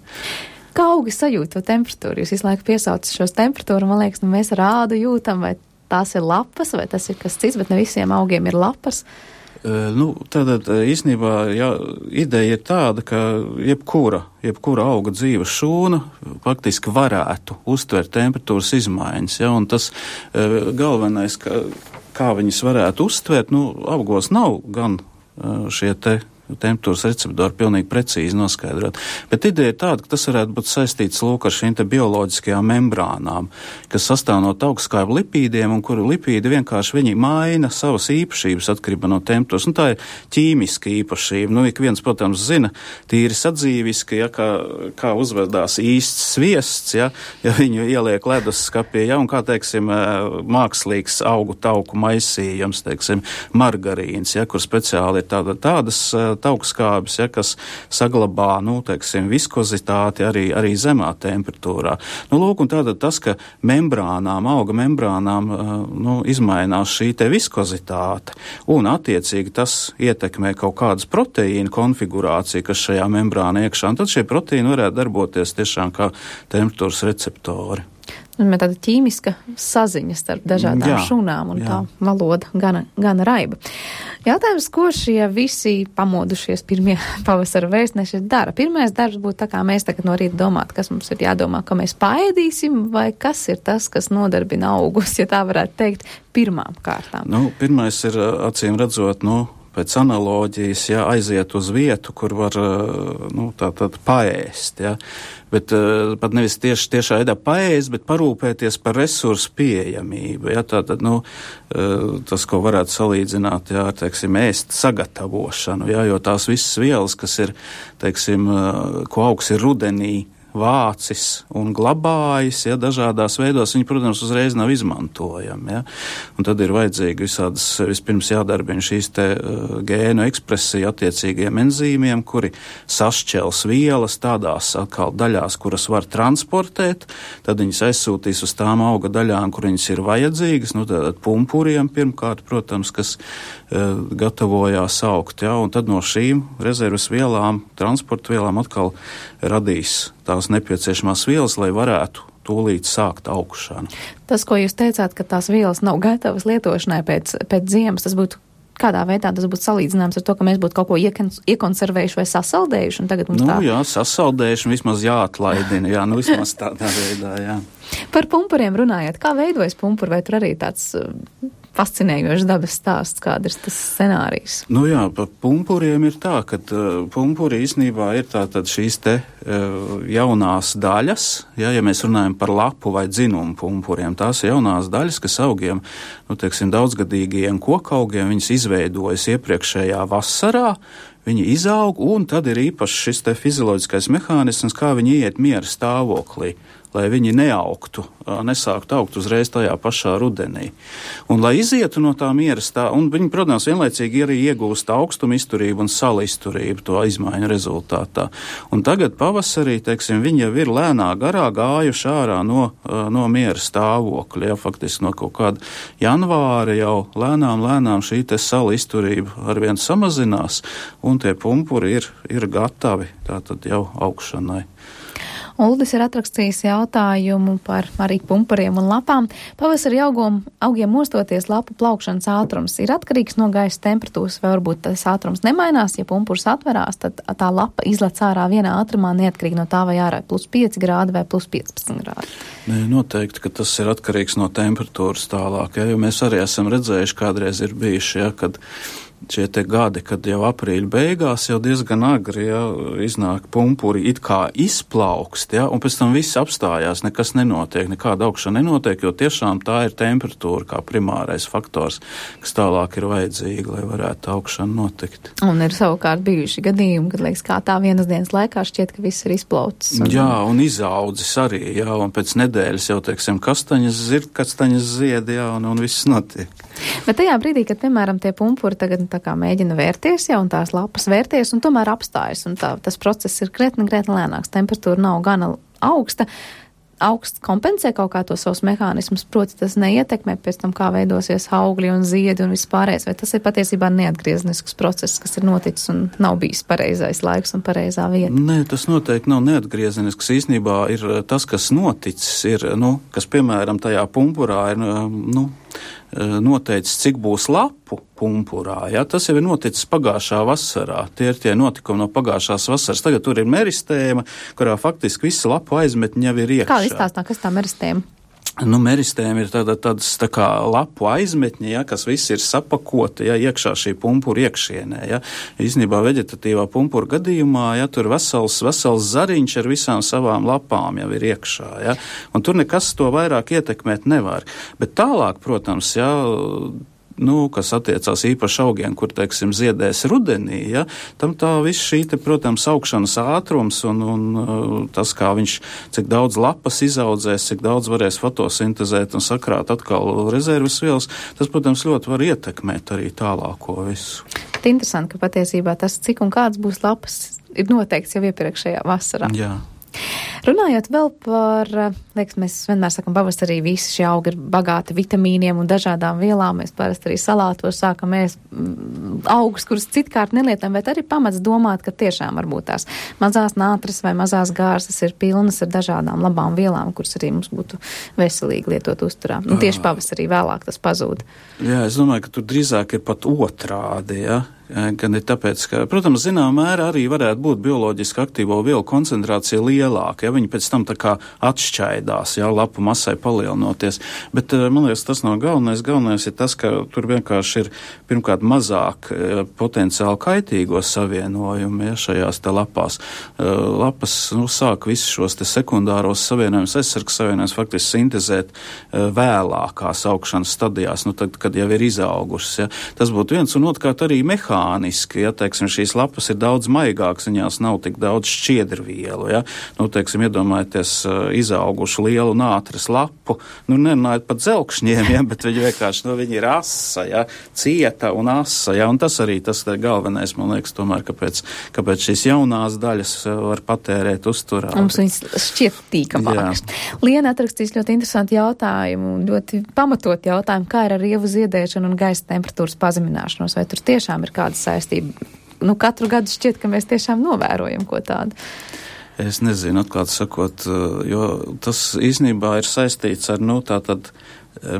Kā augi sajūt to temperatūru? Jūs visu laiku piesaucat šos temperatūru, man liekas, mēs rādu jūtam, vai tās ir lapas, vai tas ir kas cits, bet ne visiem augiem ir lapas. Tātad īstenībā ideja ir tāda, ka jebkura auga dzīves šūna faktiski varētu uztvert temperatūras izmaiņas, ja, un tas galvenais, kā viņas varētu uztvert, augos nav gan šie temperatūras receptori pilnīgi precīzi noskaidrot. Bet ideja ir tāda, ka tas varētu būt saistīts ar šīm te bioloģiskajām membrānām, kas sastāv no augstskaibu lipīdiem, un kuru lipīdi vienkārši viņi maina savas īpašības atkarībā no temperatūras. Tā ir ķīmiska īpašība. Ik viens, protams, zina tīri sadzīviski, ja, kā uzvedās īsts sviests, ja viņu ieliek ledusskapī, ja, un kā, teiksim, mākslīgs augu tauku maisījums, teiksim, margarīns, ja, kur speciāli ir tādas augstskābes, ja, kas saglabā, teiksim, viskozitāti arī zemā temperatūrā. Lūk, un tātad tas, ka auga membrānām, izmainās šī te viskozitāte, un attiecīgi tas ietekmē kaut kādas proteīnu konfigurāciju, kas šajā membrāna iekšā, un tad šie proteīni varētu darboties tiešām kā temperatūras receptori. Tāda ķīmiska saziņa starp dažādām šūnām un tā valoda gana raiba. Jautājums, ko šie visi pamodušies pirmie pavasara vēstneši dara? Pirmais darbs būtu tā, kā mēs tagad no rīta domātu, kas mums ir jādomā, ka mēs paēdīsim, vai kas ir tas, kas nodarbina augus, ja tā varētu teikt, pirmām kārtām? Pirmais ir, acīm redzot, pēc analoģijas, aiziet uz vietu, kur var, tātad paēst, bet pat nevis tiešā veidā paēst, bet parūpēties par resursu pieejamību, tātad, tas, ko varētu salīdzināt, ar, teiksim, ēst sagatavošanu, jo tās visas vielas, kas ir, teiksim, ko augs ir rudenī vācis un glabājis, dažādās veidos, viņi, protams, uzreiz nav izmantojami, un tad ir vajadzīgi vispirms jādarbina šīs te gēnu ekspresija attiecīgiem enzīmiem, kuri sašķels vielas tādās atkal daļās, kuras var transportēt, tad viņas aizsūtīs uz tām auga daļām, kur viņas ir vajadzīgas, tātad pumpuriem pirmkārt, protams, kas gatavojās augt, un tad no šīm rezerves vielām, transporta vielām atkal radīs tās nepieciešamās vielas, lai varētu tūlīt sākt augšanu. Tas, ko jūs teicāt, ka tās vielas nav gatavas lietošanai pēc ziemas, tas būtu kādā veidā tas būtu salīdzināms ar to, ka mēs būtu kaut ko iekonservējuši vai sasaldējuši, un tagad mums sasaldējuši un vismaz jāatlaidina, vismaz tādā veidā, Par pumpuriem runājot, kā veidojas pumpuri, vai tur arī tāds fascinējošs dabas stāsts, kāda ir tas scenārijs? Par pumpuriem ir tā, ka pumpuri īstenībā ir tātad šīs te jaunās daļas, ja mēs runājam par lapu vai dzinumu pumpuriem, tās ir jaunās daļas, kas augiem, daudzgadīgajiem kokaugiem, viņas izveidojas iepriekšējā vasarā, viņi izaug, un tad ir īpaši šis te fizioloģiskais mehānisms, kā viņi iet miera stāvoklī, lai viņi nesāktu augt uzreiz tajā pašā rudenī. Un lai izietu no tā miera stāvokļa, un viņi, protams, vienlaicīgi arī iegūst augstumu izturību un salu izturību to izmaiņu rezultātā. Un tagad pavasarī, teiksim, viņi jau ir lēnā garā gājuši ārā no miera stāvokļa, faktiski no kaut kāda janvāra jau lēnām šī te salu izturība arvien samazinās, un tie pumpuri ir gatavi tātad jau augšanai. Uldis ir atrakstījis jautājumu par arī pumpuriem un lapām. Pavasarī augiem mostoties lapu plaukšanas ātrums ir atkarīgs no gaisa temperatūras, vai varbūt tas ātrums nemainās, ja pumpurs atverās, tad tā lapa izlec ārā vienā ātrumā neatkarīgi no tā, vai ārā +5 grādi vai +15 grādi. Noteikti, ka tas ir atkarīgs no temperatūras tālāk, jo mēs arī esam redzējuši, kādreiz ir bijuši, kad šie te gadi, kad jau aprīļa beigās jau diezgan agri iznāk pumpuri, it kā izplaukst, un pēc tam viss apstājās, nekas nenotiek, nekāda augšana nenotiek, jo tiešām tā ir temperatūra kā primārais faktors, kas tālāk ir vajadzīga, lai varētu augšana notikt. Un ir savukārt bijuši gadījumi, kad liekas, kā tā vienas dienas laikā šķiet, ka viss ir izplaucis. Un izaudzis arī, un pēc nedēļas jau, teiksim, kastaņas ziedi, un viss notiek. Bet tajā brīdī, kad, piemēram, tie pumpuri tagad tā kā mēģina vērties, un tās lapas vērties, un tomēr apstājas, un tas process ir krietni lēnāks, temperatūra nav gana augsta, augsts kompensē kaut kā to savus mehānismus, proti tas neietekmē pēc tam, kā veidosies augļi un ziedi un viss pārējais, vai tas ir patiesībā neatgriezenisks process, kas ir noticis un nav bijis pareizais laiks un pareizā vieta? Nē, tas noteikti nav neatgriezenisks. Īsnībā ir tas, kas noticis, ir, kas, piemēram, tajā pumpurā ir, noteicis, cik būs lapu pumpurā. Ja? Tas jau ir noticis pagājušā vasarā. Tie ir tie notikumi no pagājušās vasaras. Tagad tur ir meristēma, kurā faktiski visi lapu aizmetņi jau ir iekšā. Kā izstāstā, kas tā meristēma? Nu, meristēma ir tādas tā kā lapu aizmetņi, ja, kas visi ir sapakoti, ja, iekšā šī pumpura iekšienē. Ja. Īstenībā veģetatīvā pumpura gadījumā, ja, tur vesels zariņš ar visām savām lapām jau ir iekšā. Ja. Un tur nekas to vairāk ietekmēt nevar. Bet tālāk, protams, ja, kas attiecās īpaši augiem, kur, teiksim, ziedēs rudenī, ja, tam tā viss šī, protams, augšanas ātrums un tas, kā viņš, cik daudz lapas izaudzēs, cik daudz varēs fotosintezēt un sakrāt atkal rezerves vielas, tas, protams, ļoti var ietekmēt arī tālāko visu. Interesanti, ka patiesībā tas, cik un kāds būs lapas, ir noteikts jau iepriekšējā vasarā. Jā. Runājot vēl par, liekas, mēs vienmēr sakam, pavasarī visi šie augi ir bagāti vitamīniem un dažādām vielām. Mēs parasti arī salātos sākam ēst augus, kurus citkārt nelietojam, bet arī pamats domāt, ka tiešām varbūt tās mazās nātras vai mazās gārsas ir pilnas ar dažādām labām vielām, kuras arī mums būtu veselīgi lietot uzturā. Un tieši pavasarī vēlāk tas pazūd. Jā, es domāju, ka tur drīzāk ir pat otrādi, ja? Gan ir tāpēc, ka, protams, zināmā mērā arī varētu būt bioloģiski aktīvo vielu koncentrācija lielāka, ja viņi pēc tam tā kā atšķaidās, ja, lapu masai palielinoties. Bet, man liekas, tas nav galvenais. Galvenais ir tas, ka tur vienkārši ir pirmkārt mazāk potenciāli kaitīgo savienojumu, ja, šajās te lapās. Lapas, sāk visus šos te sekundāros savienojumus, aizsargs savienojumus faktiski sintezēt vēlākās augšanas stadijās, tad, kad jau ir izaugušas, ja. Tas būtu viens, un otrkārt arī mehāniski, ja, teiksim, šīs lapas ir daudz maigākas, viņās nav tik daudz šķiedrvielu, ja. Teiksim, iedomājieties izaugušu lielu nātras lapu, nerunājot pat dzelkšņiem, ja, bet viņi vienkārši, viņi ir asa, ja, cieta un asa, ja, un tas arī tas galvenais, man liekas, tomēr, kāpēc šīs jaunās daļas var patērēt uzturā. Mums viņas šķiet tīkamākas. Liena atrakstīs ļoti interesanti jautājumu, ļoti pamatot jautājumu, kā ir ar rievu ziedēšanu un gaisa temperatūras pazemināšanos, vai tur tiešām ir kāda saistība? Katru gadu šķiet, ka mēs tiešām novērojam ko tādu. Es nezinu, atklāt sakot, jo tas īstenībā ir saistīts ar, tātad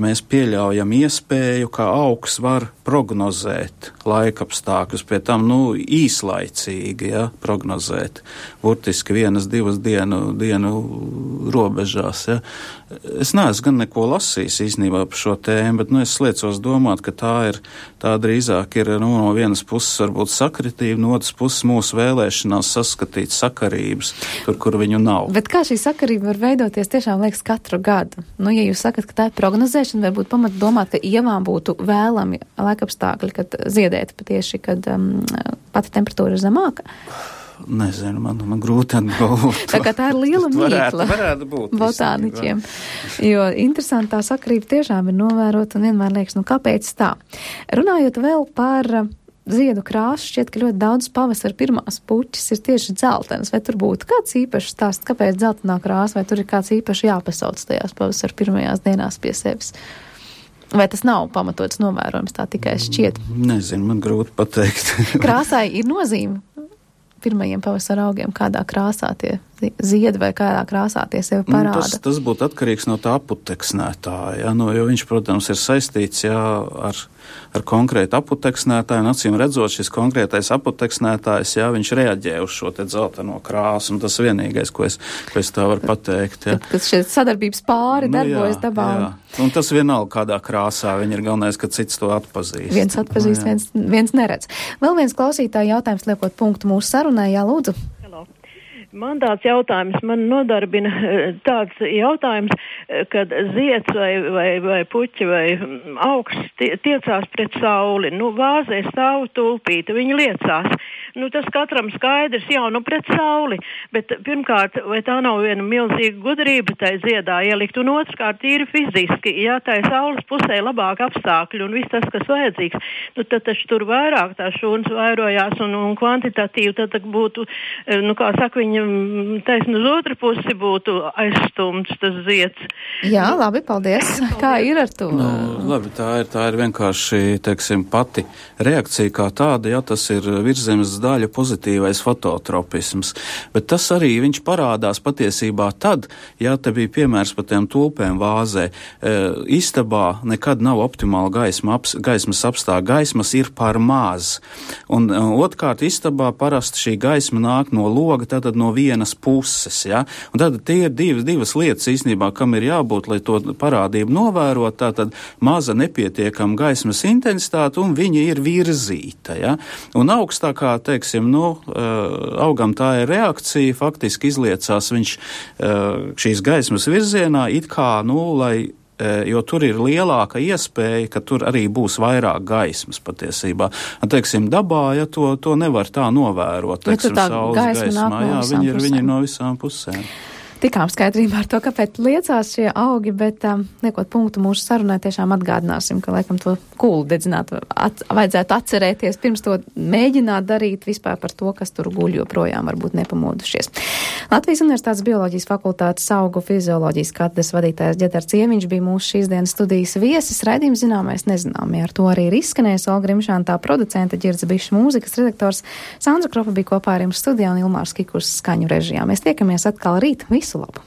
mēs pieļaujam iespēju, ka augs var prognozēt laikapstākļus, pie tam, īslaicīgi, ja, prognozēt, burtiski 1-2 dienu robežās, ja. Es neesmu gan neko lasījis īstenībā par šo tēmu, bet, es liecos domāt, ka tā drīzāk ir, no vienas puses varbūt sakritība, no otras puses mūsu vēlēšanās saskatīt sakarības, tur, kur viņu nav. Bet kā šī sakarība var veidoties, tiešām liekas katru gadu? Ja jūs sakat, ka tā ir prognozēšana, vai būtu pamat domāt, ka ievām būtu vēlami laikapstākļi, kad ziedēt patieši, kad pati temperatūra ir zemāka? Nezinu, man grūti atbildēt. Tā kā tā ir liela mīkla varētu būt botāniķiem. Jo interesanti tā sakarība tiešām ir novērota un vienmēr liekas, kāpēc tā? Runājot vēl par ziedu krāsu, šķiet, ka ļoti daudz pavasara pirmās puķis ir tieši dzeltenas. Vai tur būtu kāds īpašs stāsts, kāpēc dzeltenā krāsa, vai tur ir kāds īpaši jāpasauc tajās pavasara pirmajās dienās pie sevis? Vai tas nav pamatots novērojums, tā tikai šķiet? Nezinu, man grūti pateikt. Krāsai ir nozīme pirmajiem pavasara augiem, kādā krāsā tie ziedi vai kādā krāsā tie sevi parāda? Tas būtu atkarīgs no tā aputeksnētāja, jo viņš, protams, ir saistīts ar konkrētu aputeksnētāju, un acīm redzot, šis konkrētais aputeksnētājs, viņš reaģē uz šo te dzelteno krāsu, un tas vienīgais, ko es tā varu pateikt. Tad šie sadarbības pāri darbojas dabā. Jā. Un tas vienalga kādā krāsā, viņi ir galvenais, ka cits to atpazīst. Viens atpazīst, viens neredz. Vēl viens klausītāja jautājums, liekot punktu mūsu sarunai, Lūdzu. Man tāds jautājums, man nodarbina tāds jautājums, kad zieds vai puķi vai augs tiecās pret sauli. Vāzē stāv tulpīte, viņi liecās. Tas katram skaidrs, pret sauli, bet pirmkārt, vai tā nav viena milzīga gudrība tai ziedā ielikt, un otrkārt ir fiziski, tai saules pusē labāk apstākļi un viss tas, kas vajadzīgs. Tad taču tur vairāk tā šūnas vairojās un kvantitatīvi tad būtu, kā saka, viņa taisni uz otru pusi būtu aizstumts tas zieds. Jā, labi, paldies. Kā ir ar to? Labi, tā ir vienkārši, teiksim, pati reakcija kā tāda, tas ir Virszemes daļu pozitīvais fototropisms, bet tas arī viņš parādās patiesībā tad, ja te bija piemērs par tiem tulpēm vāzē, istabā nekad nav optimāla gaismas apstākļa, gaismas ir par maz. Un otrkārt, istabā parasti šī gaisma nāk no loga, tātad no vienas puses, ja? Un tad tie ir divas lietas īstenībā, kam ir jābūt, lai to parādību novērot, tātad maza nepietiekama gaismas intensitāte un viņa ir virzīta, ja? Un augstākā, teiksim, augam tā ir reakcija, faktiski izliecās viņš šīs gaismas virzienā, it kā, jo tur ir lielāka iespēja, ka tur arī būs vairāk gaismas patiesībā. Teiksim, dabā, ja to nevar tā novērot, teiksim, saules gaismā, viņi ir no visām pusēm. Tikām skaidrībā ar to, kāpēc liecās šie augi, bet liekot punktu mūsu sarunai, tiešām atgādināsim, ka laikam to kūlu dedzināt vajadzētu atcerēties, pirms to mēģināt darīt vispār par to, kas tur guļ joprojām varbūt nepamodušies. Latvijas Universitātes bioloģijas fakultātes augu fizioloģijas katedras vadītājs Ģedars Cieviņš bija mūsu šīs dienas studijas viesis. Raidījums zināmais nezināmie. Ar to arī ir izskanējis Olga Rimšāntā, producente, Ģirds Bišs, mūzikas redaktors. Sandra Kropa bija kopā ar jums studijā un Ilmārs Kikurs skaņu režijā. Mēs tiekamies atkal rīt. Visu labu!